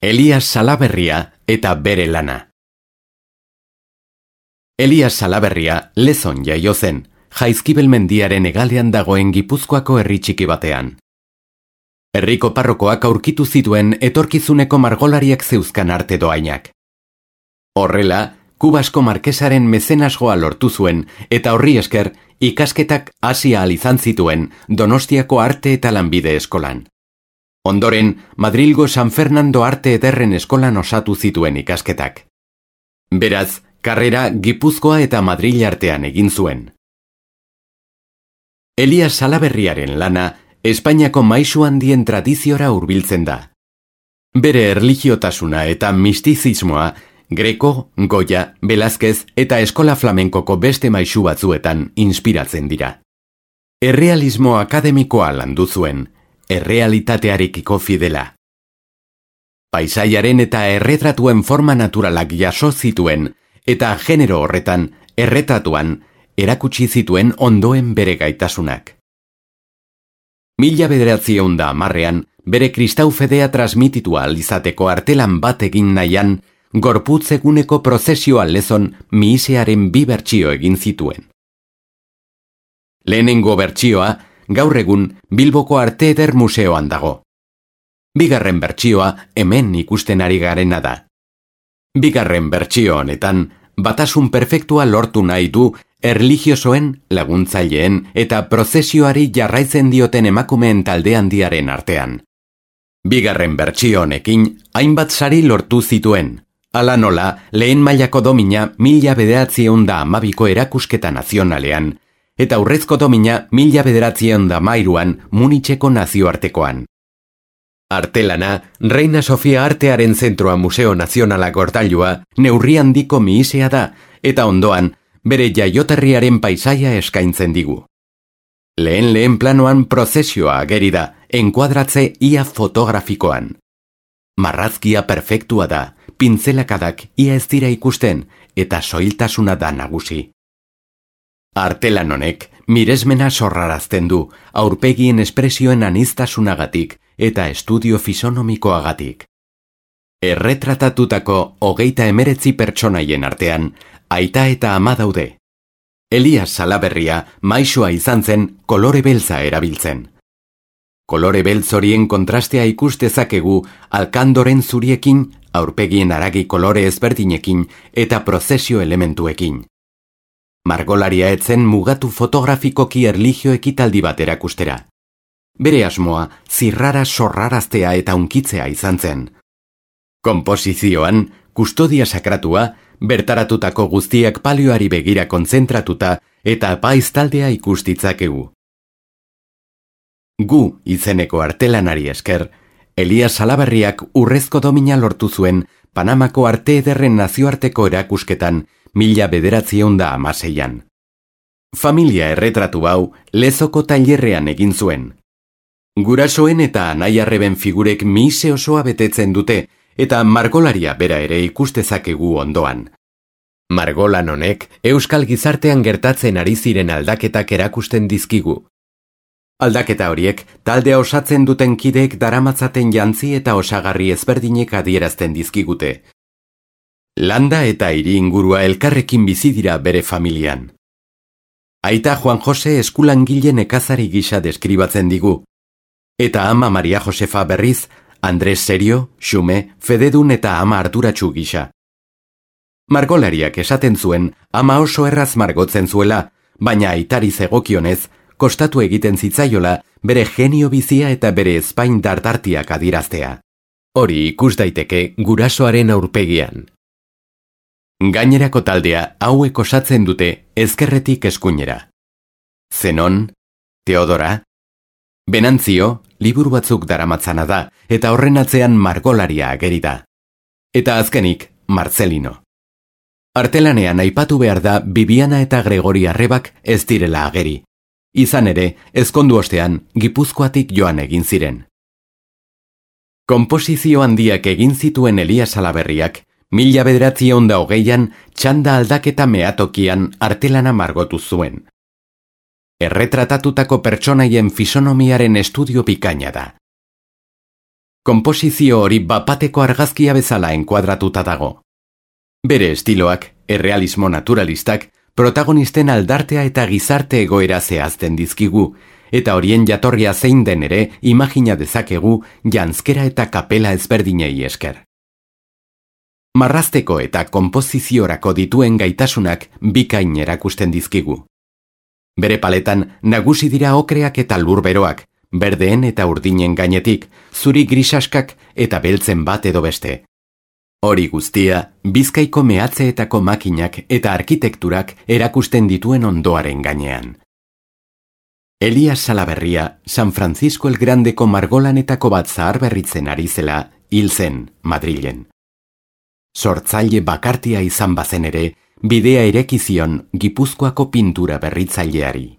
Elias Salaberria eta bere lana. Elias Salaberria Lezon jaio zen, Jaizkibel mendiaren hegalean dagoen Gipuzkoako herri txiki batean. Herriko parrokoak aurkitu zituen etorkizuneko margolariak zeuzkan arte doainak. Horrela, Kubasko markesaren mezenasgoa lortu zuen eta horri esker ikasketak hasi ahal izan zituen Donostiako Arte eta Lanbide Eskolan. Ondoren, Madrilgo San Fernando Arte Ederren Eskolan osatu zituen ikasketak. Beraz, karrera Gipuzkoa eta Madril artean egin zuen. Elias Salaberriaren lana Espainiako maisu handien tradiziora hurbiltzen da. Bere erlijiotasuna eta mistizismoa Greco, Goya, Velázquez eta eskola flamenkoko beste maisu batzuetan inspiratzen dira. Errealismo akademikoa landu zuen, errealitatearekiko fidela. Paisaiaren eta erretratuen forma naturalak jaso zituen eta genero horretan, erretratuan, erakutsi zituen ondoen bere gaitasunak. 1910 bere kristau fedea transmititua alizateko artelan bat egin nahian, gorputz eguneko prozesioa Lezon mihisearen 2 bertsio egin zituen. Lehenengo bertsioa, gaur egun Bilboko Arte Eder Museoan dago. Bigarren bertsioa hemen ikusten ari garena da. Bigarren bertsio honetan, batasun perfektua lortu nahi du erlijiosoen, laguntzaileen eta prozesioari jarraitzen dioten emakumeen talde handiaren artean. Bigarren bertsio honekin hainbat sari lortu zituen. Hala nola, lehen mailako domina 1912ko erakusketa nazionalean, eta aurrezko domina 1913an Munitzeko nazioartekoan. Artelana, Reina Sofia Artearen Zentroa Museo Nazionala gortailua neurri handiko mihisea da, eta ondoan, bere jaioterriaren paisaia eskaintzen digu. Lehen planoan prozesioa ageri da, enkuadratze ia fotografikoan. Marrazkia perfektua da, pintzelakadak ia ez dira ikusten, eta soiltasuna da nagusi. Artelan honek, miresmena sorrarazten du, aurpegien espresioen aniztasunagatik eta estudio fisonomikoagatik. Erretratatutako 29 pertsonaien artean, aita eta ama daude. Elias Salaberria maisua izan zen kolore beltza erabiltzen. Kolore beltz horien kontrastea ikustezakegu alkandoren zuriekin, aurpegien haragi kolore ezberdinekin eta prozesio elementuekin. Margolaria etzen mugatu fotografikoki erlijio ekitaldi bat erakustera. Bere asmoa zirrara sorraraztea eta unkitzea izan zen. Konposizioan, kustodia sakratua, bertaratutako guztiak palioari begira kontzentratuta eta apaiz taldea ikustitzakegu. Gu izeneko artelanari esker, Elias Salaberriak urrezko domina lortu zuen Panamako Arte Ederren nazioarteko erakusketan 1916an. Familia erretratu hau Lezoko tailerrean egin zuen. Gurasoen eta anai-arreben figurek mihise osoa betetzen dute eta margolaria bera ere ikustezakegu ondoan. Margolan honek euskal gizartean gertatzen ari ziren aldaketak erakusten dizkigu. Aldaketa horiek taldea osatzen duten kideek daramatzaten jantzi eta osagarri ezberdinek adierazten dizkigute. Landa eta hiri ingurua elkarrekin bizi dira bere familian. Aita Juan Jose eskulangile nekazari gisa deskribatzen digu. Eta ama Maria Josefa berriz, Andres serio, xume, fededun eta ama arduratsu gisa. Margolariak esaten zuen ama oso erraz margotzen zuela, baina aitari zegokionez, kostatu egiten zitzaiola bere genio bizia eta bere ezpain dardartiak adiraztea. Hori ikus daiteke gurasoaren aurpegian. Gainerako taldea hauek osatzen dute ezkerretik eskuinera. Zenon, Teodora, Benantzio, liburu batzuk daramatzana da, eta horren atzean margolaria ageri da. Eta azkenik, Marcelino. Artelanean aipatu behar da Bibiana eta Gregori arrebak ez direla ageri. Izan ere, ezkondu ostean, Gipuzkoatik joan egin ziren. Konposizio handiak egin zituen Elias Salaberriak, 1920an txanda aldaketa meatokian artelana margotu zuen. Erretratatutako pertsonaien fisonomiaren estudio bikaina da. Konposizio hori bapateko argazkia bezala enkuadratuta dago. Bere estiloak, errealismo naturalistak, protagonisten aldartea eta gizarte egoera zehazten dizkigu, eta horien jatorria zein den ere imagina dezakegu janzkera eta kapela ezberdinei esker. Marrazteko eta konpoziziorako dituen gaitasunak bikain erakusten dizkigu. Bere paletan nagusi dira okreak eta lurberoak, berdeen eta urdinen gainetik, zuri grisaskak eta beltzen bat edo beste. Hori guztia, Bizkaiko mehatzeetako makinak eta arkitekturak erakusten dituen ondoaren gainean. Elias Salaberria, San Francisco el Grandeko margolanetako bat zaharberritzen ari zela, hil zen, Madrilen. Sortzaile bakartia izan bazen ere, bidea ireki zion Gipuzkoako pintura berritzaileari.